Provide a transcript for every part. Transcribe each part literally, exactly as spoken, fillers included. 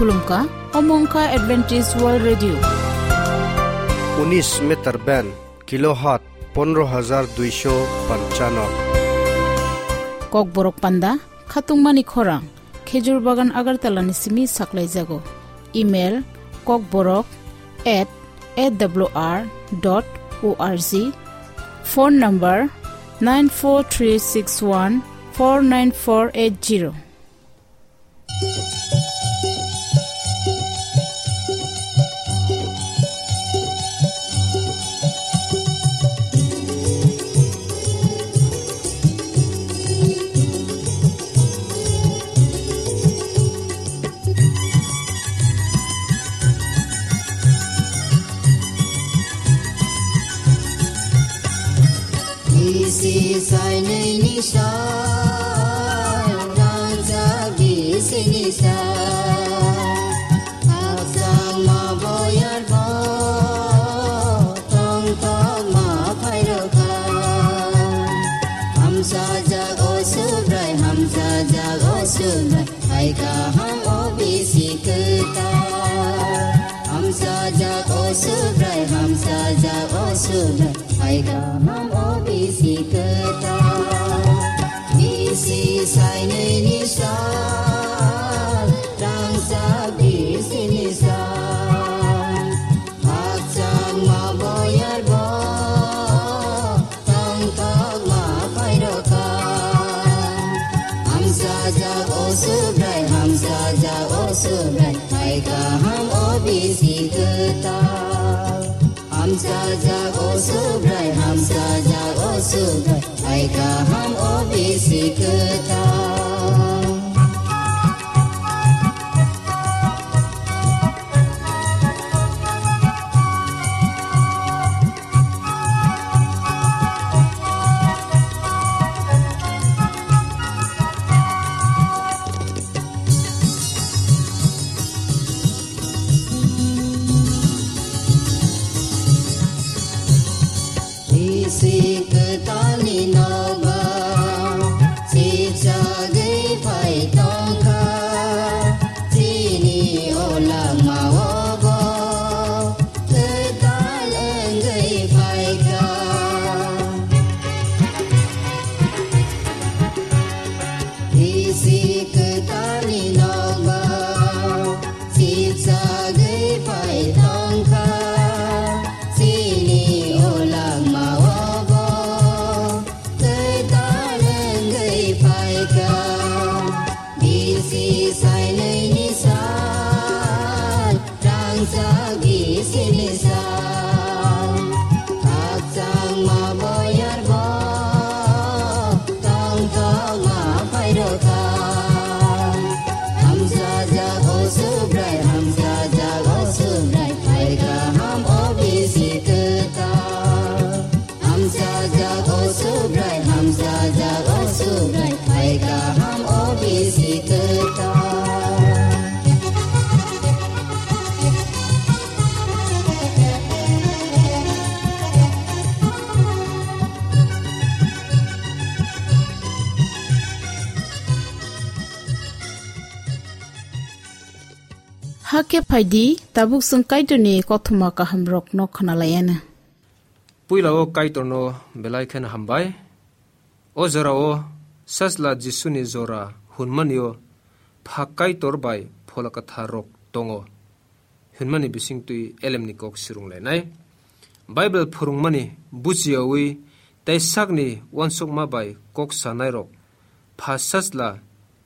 Khulumkha, omo wngkha Adventist World Radio. Unis meter band, kilohertz pondro hajar duisho panchano. Kokborok panda, khatungmani khorang, Khejur Bagan Agartala ni simi saklaijago. Email, kokborok at A W R dot O R G. Phone number, nine four three six one four nine four eight zero. Bisi sainwi ni sal, rangchak bisi ni sal. Khakchangma boyar bo, tongthokma phairokha. Hamsajak o Subrai, hamsajak o Subrai. Hai kaham o bisi kwtal. Hamsajak o Subrai, hamsajak o Subrai. Hai kaham o bisi kwtal. Bisi sainwi ni sal, rangchak bisi ni sal. Khakchangma boyar bo, tongthokma phairokha. Hamsajak o Subrai, hamsajak o Subrai, hai kaham o bisi kwtal. Hamsajak o Subrai, hamsajak o Subrai, hai kaham o bisi kwtal. Bisi kwtalni nogo, sijagwi phai tongkha, chini o langmao bo kwtal wngwi phaikha. Bisi kwtalni nogo, sijagwi phai tongkha, chini o langmao bo kwtal wngwi phaikha. Bisi sainwi ni sal, rangchak bisi ni sal. Khakchangma boyar bo, tongthokma phairokha. Hamsajak o Subrai, hamsajak o Subrai, hai kaham o bisi kwtal. Hamsajak o Subrai, hamsajak o Subrai, hai kaham o bisi kwtal. Hakhe phaidi, tabuk chwng Kaitorni kothoma kahamrokno khwnalaianw. Puila o Kaitorno belai kheno hambai. O jorao Sajla Jisuni jora hwnmani o Pha Kaitor bai Phola Kwthar rok tongo hwnmani bisingtwi elemni kok swrwnglainai. Bible phwrwngmani bujiyawi tei sakni uansukma bai kok sanairok Pha Sajla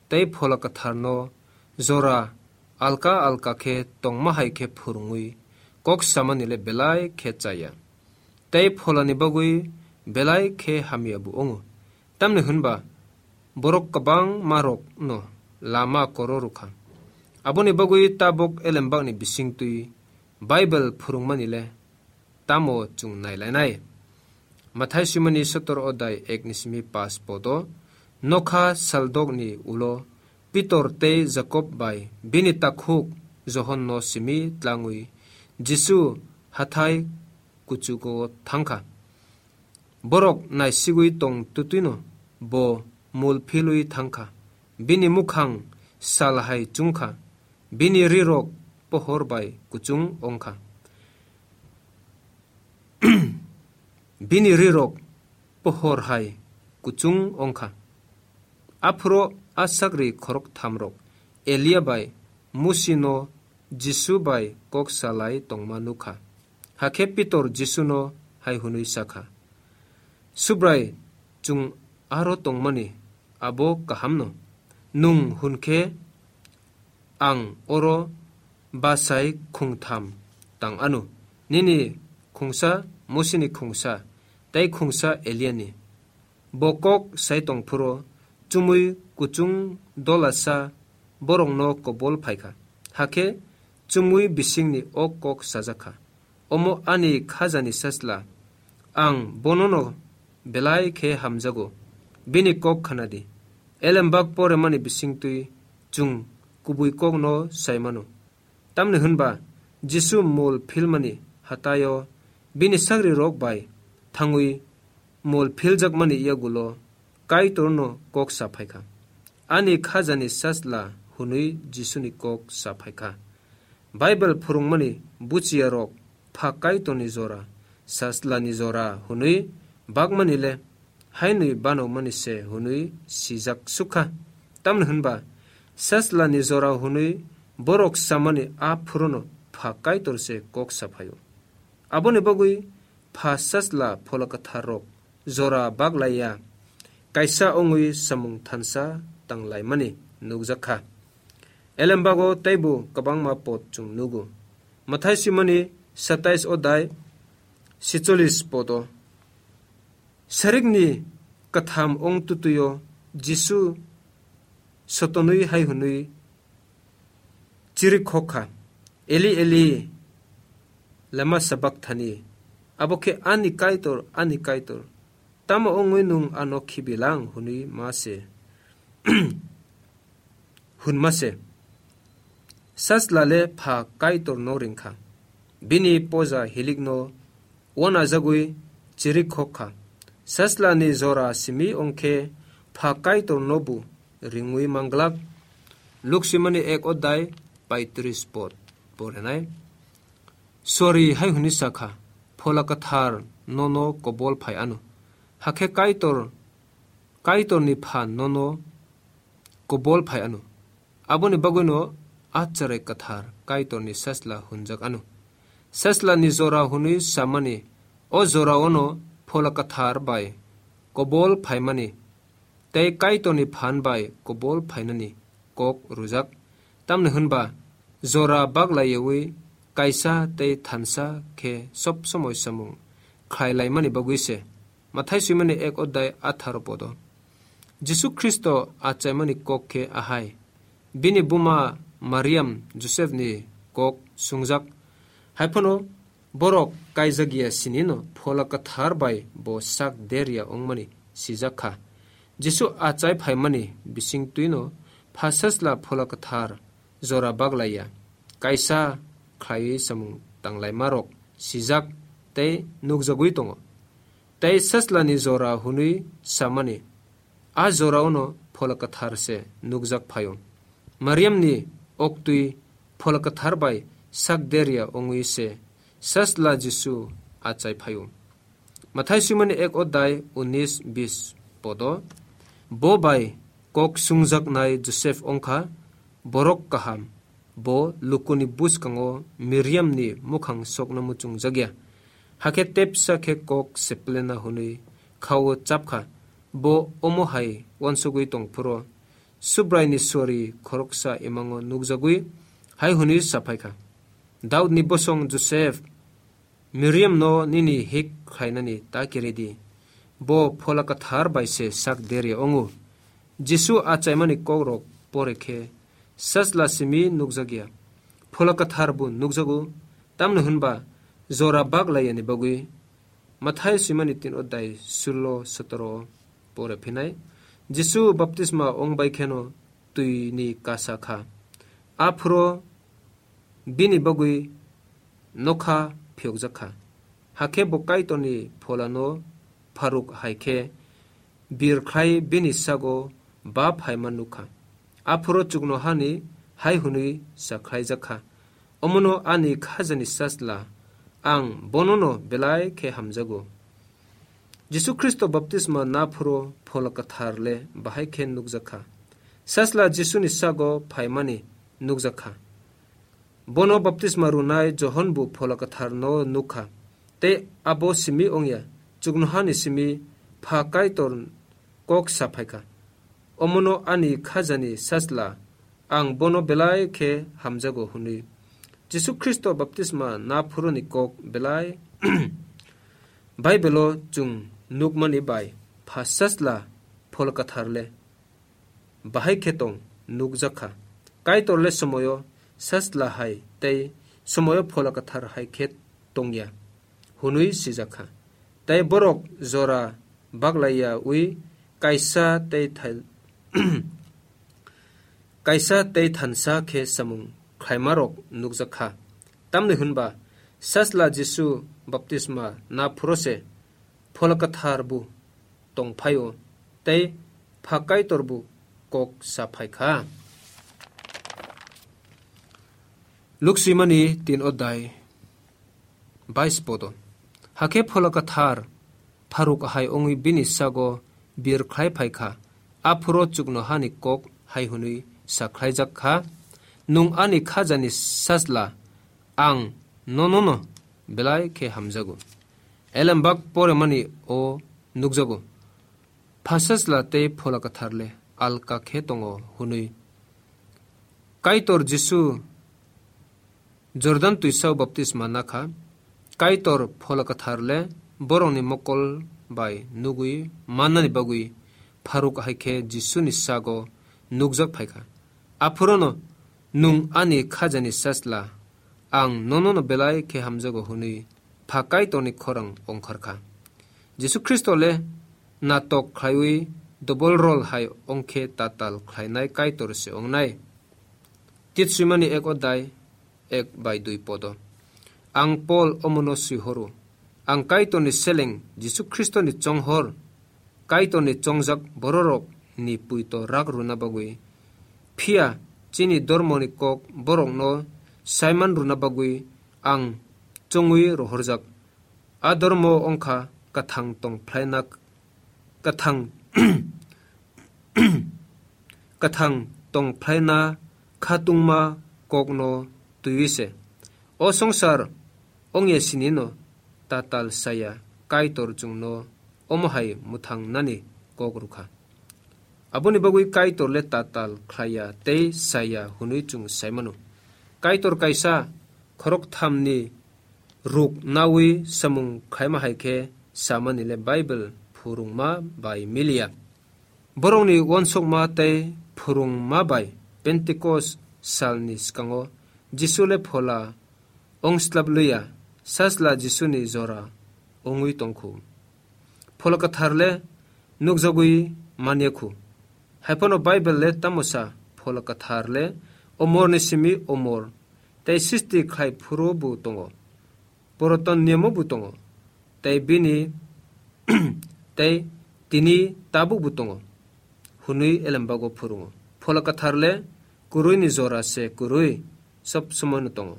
tei Phola Kwtharno jora alka alka khe tongma hai khe phwrwngwi kok samani le belai khe chaya. Tei pholani bagwi belai khe hamya bo wngo. Tamni hwnba borok kwbangma rokno lama koro rwkha. Aboni bagwi tabuk elembakni bisingtwi Bible phwrwngmani le tamo chwng nailainai? Mathai swimani sotor odai ek ni simi pas podo, nokha saldokni ulo Pitor tei Jakob bai bini takhuk Johonno simi tlangwi Jisu hathai kuchugo thangkha. Borok naisigwi tong twtwino bo mul philwi thangkha. Bini mukhang sal hai chungkha. Bini rirok pohor bai kuchung wng kha. Bini rirok pohor hai kuchung wng kha. Aphuru a sagri khoroktham rok Elia bai Musi no Jisu bai kok salai tongma nuk kha. Hakhe Pitor Jisu no hai hwnwi sa kha, "Subrai, chwng aro tongmani abo kaham no. Nwng hwn khe ang oro bachai khungtham tang anw, nini khungsa Musini khungsa, tei khungsa Eliani." Bo kok sai tong phuru chumui kuchung dolasa borokno kobol phai kha. Hakhe chumui bisingni o kok sajak kha, "Omo ani khajani sachla, ang bonono belai khe hamjago, bini kok khna di." Elembak poremani bisingtwi chwng kubui kokno sai mano. Tamni hwnba Jisu mol philmani hataio bini sagrirok bai thangwi mol philjakmani yagulo Kaitorno kok sa phai kha. "Ani khajani sachla," hwnwi Jisuni kok sa phai kha. Bible phwrwngmani buchiyarok pha Kaitorni jora, sachlani jora hwnwi bakmani le hainwi banokmani se hwnwi sijak suk kha. Tamni hwnba sachlani jora hwnwi borok samani a phuruno pha Kaitor se kok sa phaio. Aboni bagwi pha sachla phola kwthar rok jora baglaiya kaisa wngwi samung thansa tanglaimani nukjak kha. Elembago teibo kwbangma pod chwng nugo. Mathai swimani satais odai sicholis podo. Sarikni katham ong tutuyo Jisu sotonwi hai hwnwi chirikhok kha, "Eli, Eli, lama sabakthani?" Abo khe, "Ani Kaitor, ani Kaitor, tamo wngwi nwng ano khibilang?" hwnwi ma se. Hwnma se. Sachla le pha Kaitorno ring kha. Bini poja hilikno wanajagwi chirikhok kha. Sachlani jora simi ong khe pha Kaitorno bo ringwi manglak. Luksimani ek odai paitris pod porenai. Sori hai hwnwi sa kha, "Phola Kwthar nono kobol phai ano. Hakhe Kaitor, Kaitorni phan nono kobol phai ano." Aboni bagwino a Chwrai Kwthar Kaitorni sachla hwnjak ano. Sachlani jora hwnwi samani o joraono Phola Kwthar bai kobol phaimani tei Kaitorni phan bai kobol phainani kok rwjak. Tamni hwnba jora baglaiyawi kaisa tei thansa khe sob somoi samung khlai laimani bagwi se. Mathai swimani ek odai atharo podo. Jisu Khristo achaimani kok khe ahai. Bini buma Mariam Josepni kok sungjak. Haiphano borok kaijagya sinino Phola Kwthar bai bo sak derya wngmani sijak kha. Jisu achai phaimani bisingtwino pha sachla Phola Kwthar jora baglaiya, kaisa khlaiwi samung tanglaimarok sijak tei nukjagwi tongo. Tei sachlani jora hwnwi samani a joraono Phola Kwthar se nukjak phaio. Mariamni oktwi Phola Kwthar bai sak derya wngwi se sachla Jisu achai phaio. Mathai swimani ek odai unis bis podo. Bo bai kok sungjaknai Joseph wngkha borok kaham. Bo lukuni bwskango Miriamni mukhang sokno muchungjakya. Hakhe tepsa khe kok seplena hwnwi khao chapkha. Bo omo hai uansugwi tongphuru Subraini sori khoroksa imango nukjagwi hai hwnwi saphaikha, "Daudni bosong Joseph, Miriamno nini hik khlainani ta kiri di. Bo Phola Kwthar bai se sak derya wngo." Jisu achaimani kokrok pore khe sachla simi nukjakya, Phola Kwthar bo nukjago, tamni hwnba jora bak laiyani bagwi. Mathai swimani tin odai sullo sotoro pore phinai. Jisu baptisma ong bai kheno twini kasa kha. Aphuru bini bagwi nokha phiyokjak kha. Hakhe bo Kaitorni Pholano pharuk hai khe birkhlai bini sago ba phaima nuk kha. Aphuru chuknohani hai hwnwi sa khlaijak kha, "Omono ani khajani Sajla, ang bonono belai khe hamjago." Jisu Khristo baptisma naphuru Phola Kwthar le bahai khe nukjak kha. Sajla Jisuni sago phaimani nukjak kha. Bono baptisma rwnai Johon bo Phola Kwtharno nuk kha, tei abo simi wngya, chuknohani simi Pha Kaitor kok sa phai kha, "Omono ani khajani Sajla, ang bono belai khe hamjago," hwnwi. Jisu Khristo baptisma naphuruni kok belai Baibelo chwng nukmani bai Pha Sajla Phola Kwthar le bahai khe tong nukjak kha. Kaitor le somoyo Sajla hai tei somoyo Phola Kwthar hai khe tongya hwnwi sijak kha. Tei borok jora baglaiya wi kaisa tei thai-, kaisa tei thansa khe samung khlaimarok nukjak kha. Tamni hwnba Sajla Jisu baptisma naphuru se Phola Kwthar bo tong phaio tei Pha Kaitor bo kok sa phai kha. Luk swimani tin odai bais podo. Hakhe Phola Kwthar pharuk hai wngwi bini sago bir khlai phai kha. Aphuru chuknohani kok hai hwnwi sa khlaijak kha, "Nwng ani khajani Sajla, ang nonono belai khe hamjago." Elembak poremani o nukjago, Pha Sajla tei Phola Kwthar le alka khe tongo hwnwi. Kaitor Jisu Jordan twisao baptisma nakha. Kaitor Phola Kwthar le borokni mokol bai nugwi mannani bagwi pharuk hai khe Jisuni sago nukjak phai kha. Aphurono, "Nwng ani khajani Sajla, ang nonono belai khe hamjago," hwnwi Pha Kaitorni khorang ongkhar kha. Jisu Khristo le natok khlaiwi double role hai ongkhe tatal khlainai Kaitor se ongnai. Tit swimani ek odai ek bai dui podo. Ang Pol omono swihoro. Ang Kaitorni seleng Jisu Khristoni chonghor, Kaitorni chongjak bororokni puito rak rwna bagwi. Phiya chini dormoni kok borokno saiman rwna bagwi ang chongwi rohorjak. A dormo wngkha kwthang tong phlaina, kwthang, kwthang tong phlaina khatungma kokno twiwi se. O songsar ongya sinino tatal saya Kaitor chwngno omo hai mwthang nani kok rwkha. Aboni bagwi Kaitor le tatal khlaiya tei saya hwnwi chwng saimano. Kaitor kaisa khorok thamni ruk nawi samung khaima hai khe samani le Bible phurungma bai miliya. Borokni uansukma tei phurungma bai Pentecost salni swkango Jisu le phola ongslap liya, Sajla Jisuni jora ongwi tongkhu. Phola Kwthar le nukjagwi manya khu. Haiphano Bible le tamo sa, Phola Kwthar le omorni simi omor tei sisti khlai phuru bo tongo. Puraton niyamo bo tongo, tei bini, tei tini tabuk bo tongo, hwnwi elembago phurungo. Phola Kwthar le kwrwini jora se kwrwi sob somoino tongo.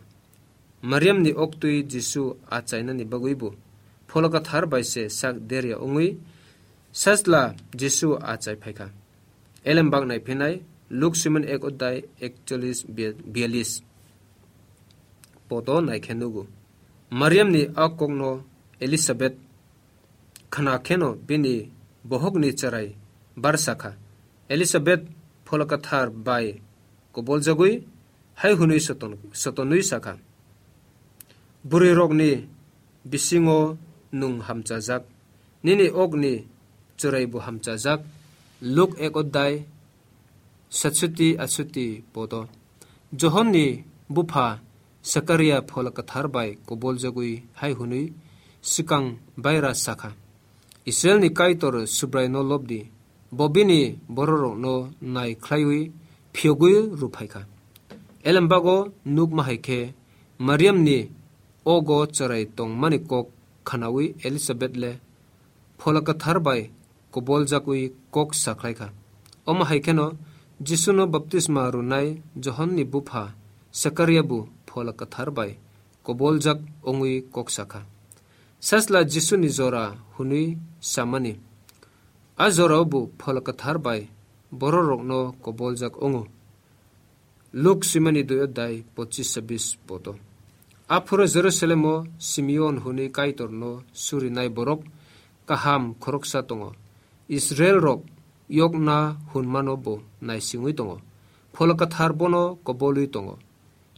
Mariamni oktwi Jisu achainani bagwi bo Phola Kwthar bai se sak derya wngwi Sajla Jisu achai phaikha. Elembak naiphinai Luk Simon ek odai ekchollis biya-, biyalis poto naikhe nugo. Mariamni a kokno Elisabet khna kheno bini bohokni chwrai bar sakha. Elisabet Phola Kwthar bai koboljagwi hai hwnwi soton-, sotonwi sakha, "Bwrwirokni bisingo nwng hamchajak, nini okni chwraibo hamchajak." Luk ek odai satsuti atsuti poto. Johonni bupha Sakaria Phola Kwthar bai koboljagwi hai hwnwi swkang baira sakha, "Israilni Kaitor Subraino lobdi, bo bini bororokno nai khlaiwi phiyogwi rwphaikha." Elembago nukma hai khe Mariamni ogo chwrai tongmani kok khnawi Elisabet le Phola Kwthar bai koboljagwi kok sakhlaikha. Omo hai kheno Jisuno baptisma rwnai Johonni bupha Sakaria bo Phola Kwthar bai koboljak wngwi kok sakha. Sachla Jisuni jora hwnwi samani, a jorao bo Phola Kwthar bai bororokno koboljak wngo. Luk swimani dui adhyay pochis chabis poto. Aphuru Jerusalemo Simeon hwnwi Kaitorno surinai borok kaham khoroksa tongo. Israelrok yokna hwnmano bo naisingwi tongo. Phola Kwthar bono kobolwi tongo.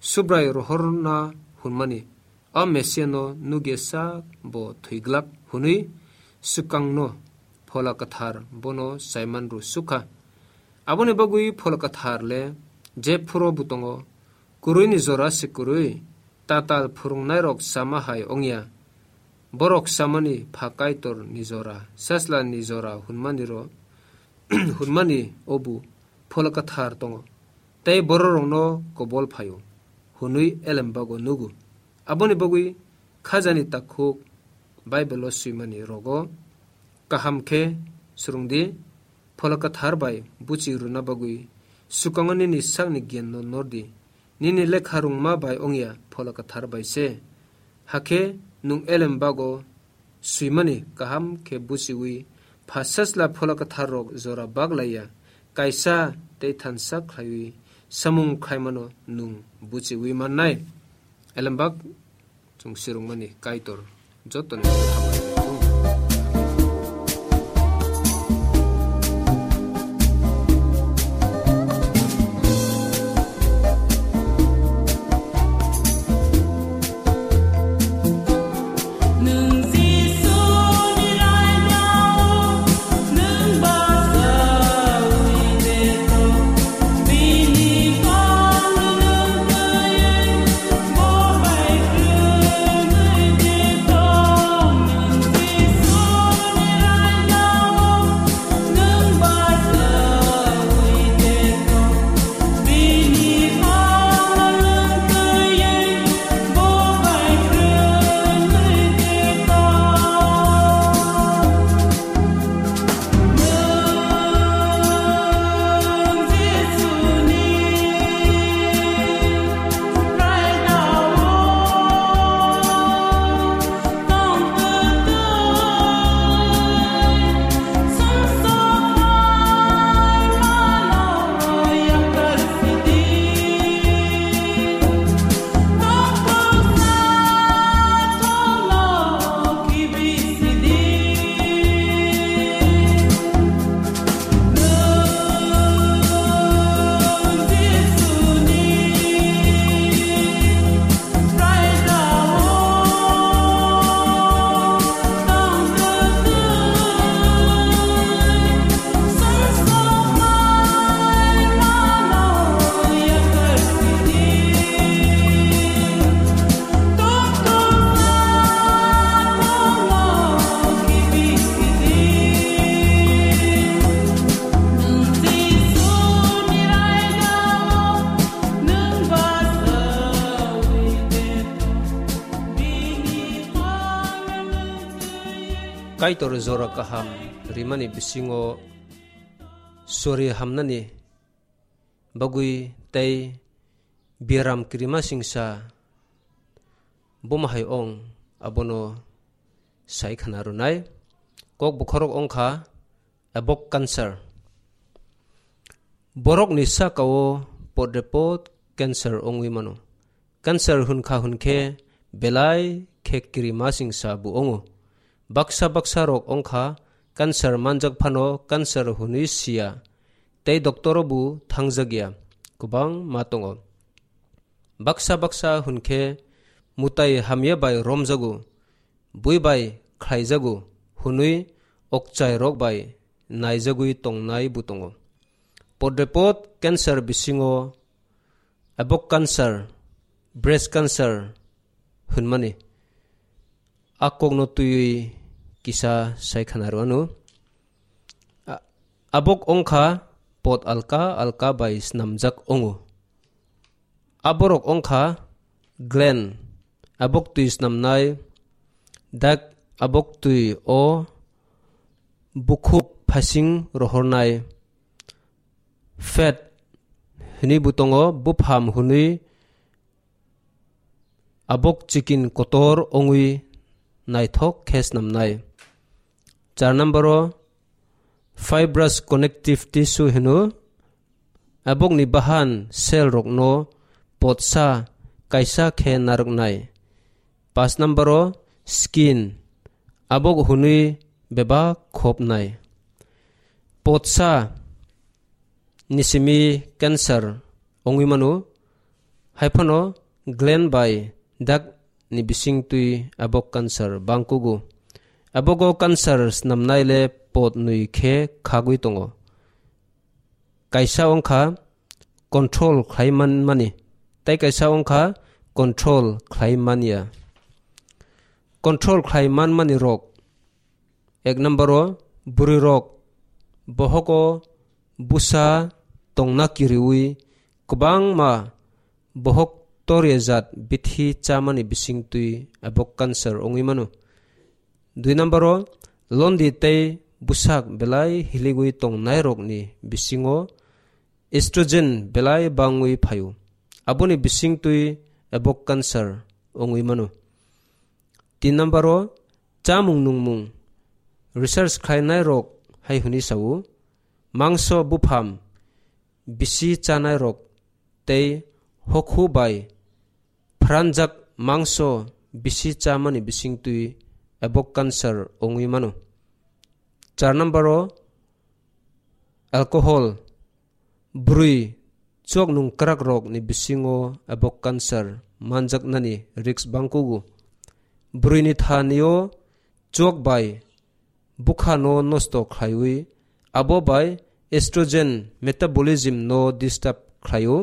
Subrai rohorna hwnmani, a Mesiano nugya sak bo thwiglak hwnwi swkangno Phola Kwthar bono Simon ru sukha. Aboni bagwi Phola Kwthar le jephuru bo tongo, kwrwini jora se kwrwi, tatal phwrwngnairok sama hai wngya. Borok samani pha Kaitor ni jora, sachla ni jora hwnmani ro, hwnmani obu Phola Kwthar tongo, tei bororokno kobol phaio, hwnwi elembago nugo. Aboni bagwi khajani takhuk Bible-o swimani rogo kaham khe swrwngdi, Phola Kwthar bai buchi rwna bagwi swkango nini sakni giyanno nordi. Nini lekha rwngma bai wngya Phola Kwthar bai se. Hakhe nwng elembago swimani kaham khe buchiwi pha sachla Phola Kwtharrok jora baglaiya, kaisa tei thansa khlaiwi samung khlaimano nwng buchiwi mannai. Elembak chwng sirwngmani Kaitor jotoni hambai. Kaitor jora kaham rimani bisingo sori hamnani bagwi tei biaram kirima singsa boma hai ong, abono sai khana rwnai. Kok bokhorok ongkha abok cancer. Borokni sakao podrepot cancer ongwi mano. Cancer hwnkha hwnkhe belai khe kirima singsa bo ongo. Baksa baksa rok ongkha cancer manjak phano cancer hwnwi siya, tei doctoro bo thangjakya, kwbangma tongo. Baksa baksa hwnkhe mutai hamya bai romjago, bui bai khlaijago hwnwi okchai rok bai naijagwi tongnai bo tongo. Podrepot cancer bisingo abok cancer, breast cancer hwnmani. A kokno twiwi kisa sai khana rwanu. A-, abok ongkha pot alka alka bai snamjak ongo. Aborok ongkha gland, abok twi snamnai, dak abok twi o bukhuk phasing rohornai, fat hwnwi bo tongo, bupham hwnwi abok chikin kotor wngwi naithok khe snamnai. Char number o fibrous connective tissue hino, abokni bahan cell rokno potsa kaisa khe narwknai. Pas number o skin, abok hwnwi bebak khopnai. Potsa ni simi cancer wngwi mano, haiphano gland bai duct ni bising twi abok cancer bangkugo. Abogo cancer snamnai le pot nwi khe khagwi tongo. Kaisa wngkha control khlai man mani, tei kaisa wngkha control khlai manya. Control khlai man mani rok, ek number o bwrwi rok bohogo busa tongna kiriwi kwbangma bohok torya jat bithi chamani bising twi abok cancer wngwi mano. Dui number o londi tei bwsak belai hiligwi tongnai rokni bisingo estrogen belai bangwi phaio. Aboni bising twi abok cancer wngwi mano. Tin number o chamung nungmung research khlainai rok hai hwnwi sao, mangso bupham bisi chanai rok tei hokhu bai phranjak mangso bisi chamani bising twi abok cancer wngwi mano. Char number o alcohol, bwrwi chwk nung kwrak rok ni bisingo abok cancer manjaknani risk bangkugo. Bwrwi ni thani o chwk bai bwkha no nosto khlaiwi, abo bai estrogen metabolism no disturb khlaio.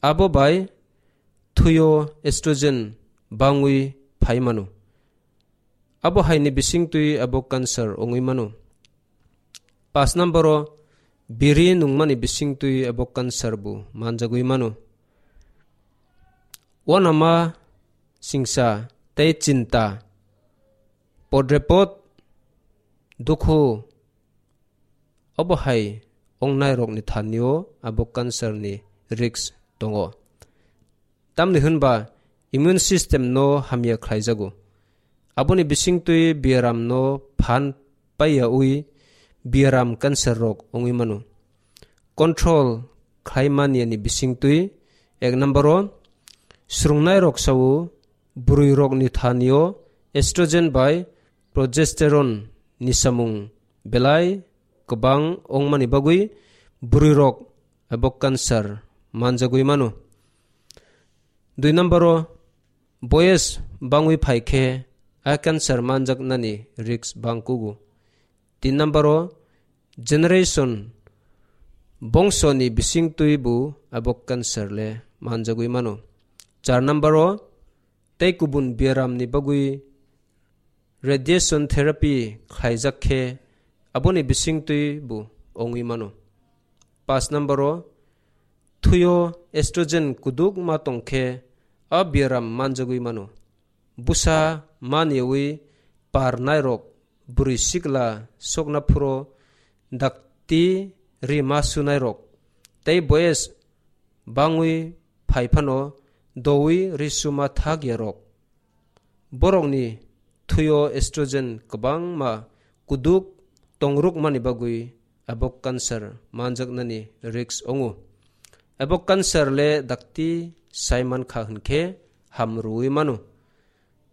Abo bai thwio estrogen bangwi phai mano. Abo hai ni bising twi abo cancer wngwi mano. Pas number o biri nungmani bising twi abo cancer bo manjagwi mano. Uanama singsa tei chinta, podrepot, dukhu, obo hai wngnai rokni thani o abo cancer ni risk tongo. Tamni hwnba immune system no hamya khlaijago. Aboni bising twi biaram no phan paiya ui biaram cancer rok wngwi mano. Control khlai manya ni bising twi ek number o swrwngnai rok sao bwrwi rok ni thani o estrogen bai progesterone ni samung belai kwbang wngmani bagwi bwrwi rok abo cancer manjagwi mano. Dui number o boyes bangwi phai khe a cancer manjaknani risk bangkugo. Tin number o generation bongso ni bising twi bo abo cancer le manjagwi mano. Char number o tei kubun biaram ni bagwi radiation therapy khlaijak khe aboni bising twi bo wngwi mano. Pas number o thwio estrogen kuduk ma tong khe a biaram manjagwi mano. Busa maniwi par nairok, bwrwi sikla sokna phuro dakti ri ma sunairok, tei boyes bangwi phai phano dowi ri suma thak ya rok. Borokni thwio estrogen kwbangma kuduk tongrukmani bagwi abo cancer manjaknani risk wngo. Abo cancer le dakti sai mankha hwnkhe ham rwwi mano.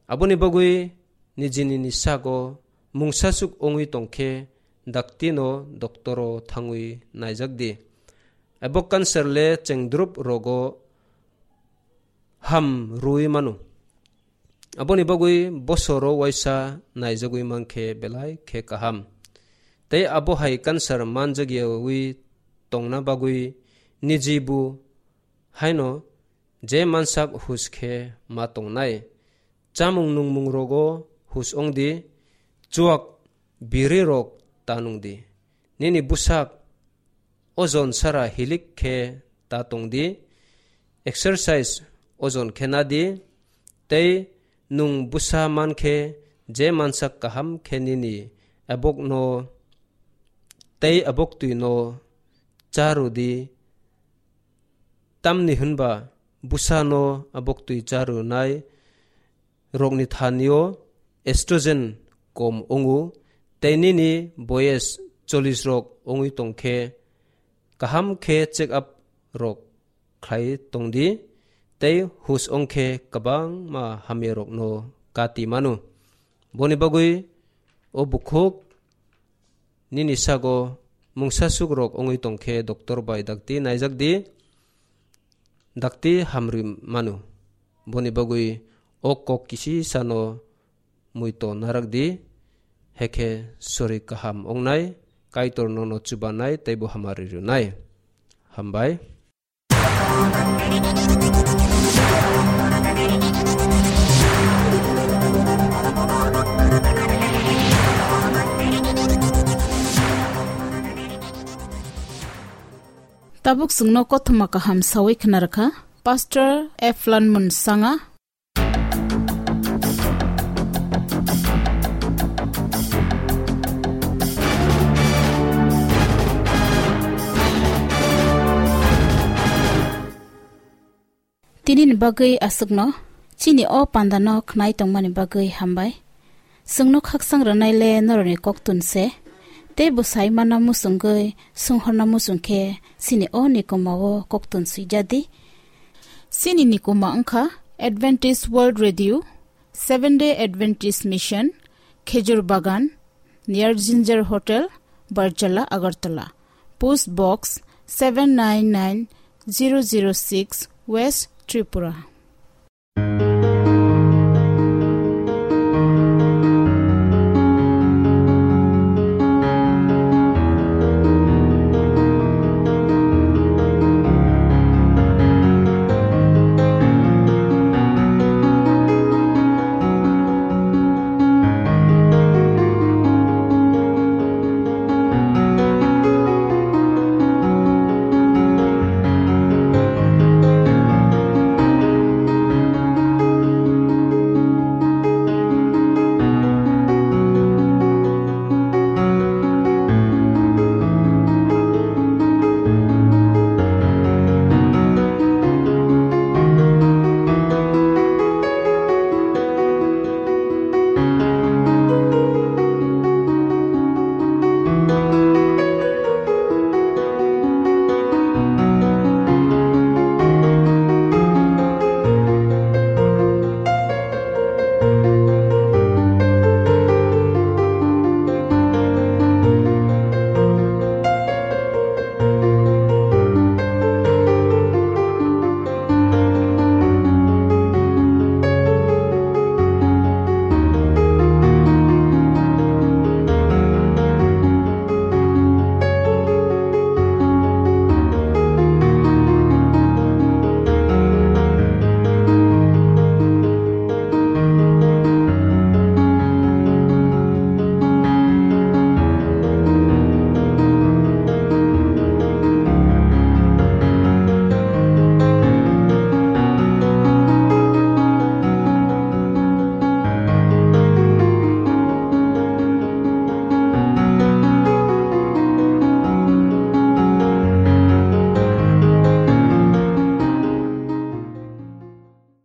Aboni bagwi nijini ni sago mungsasuk wngwi tongkhe daktino doktoro thangwi naijak di. Abo cancer le chengdrup rogo ham rwwi mano. Aboni bagwi bosoro waisa naijagwi mankhe belai khe kaham. Tei abo hai cancer manjagyawi tongna bagwi niji bu haino je mansak hus khe ma tongnai. Chamung nungmung rogo hus wngdi, chuak biri rok ta nungdi. Nini bwsak ojon sara hilik khe ta tongdi, exercise ojon khe nadi, tei nwng bwsa man khe je mansak kaham khe nini abokno tei aboktwino cha rwdi, Tamni hwnba bwsano aboktwi charwnai rokni thanio estrogen kom wngo, tei nini boyes chollish rok wngwi tongkhe, kaham khe check up rok khlai tongdi, tei hus wngkhe kwbangma hamyarokno kati mano. Boni bagwi o bukhuk nini sago mungsa sukrok wngwi tongkhe doctor bai dakti naijakdi, dakti hamrwi mano. Boni bagwi o kok kisi sano muito narakdi, hekhe sori kaham wngnai, Kaitor nono chubanai tei bo hamari rwnai. Hambai. Tabuk chwngno kothoma kaham sawi khna rwkha Pastor F Lanmun Sanga. Tini ni bagwi aswkno, chini o panda no khnai tongmani bagwi hambai. Chwngno khaksang rwnai le norokni koktun se, tei bwsai mana muchungwi sunghorna muchung khe chini o nikoma o koktun swijadi. Chini nikoma wngkha Adventist World Radio, Seventh Day Adventist Mission, Khejur Bagan, near Ginger Hotel, Barjala, Agartala. Post Box seven nine nine zero zero six, West Tripura.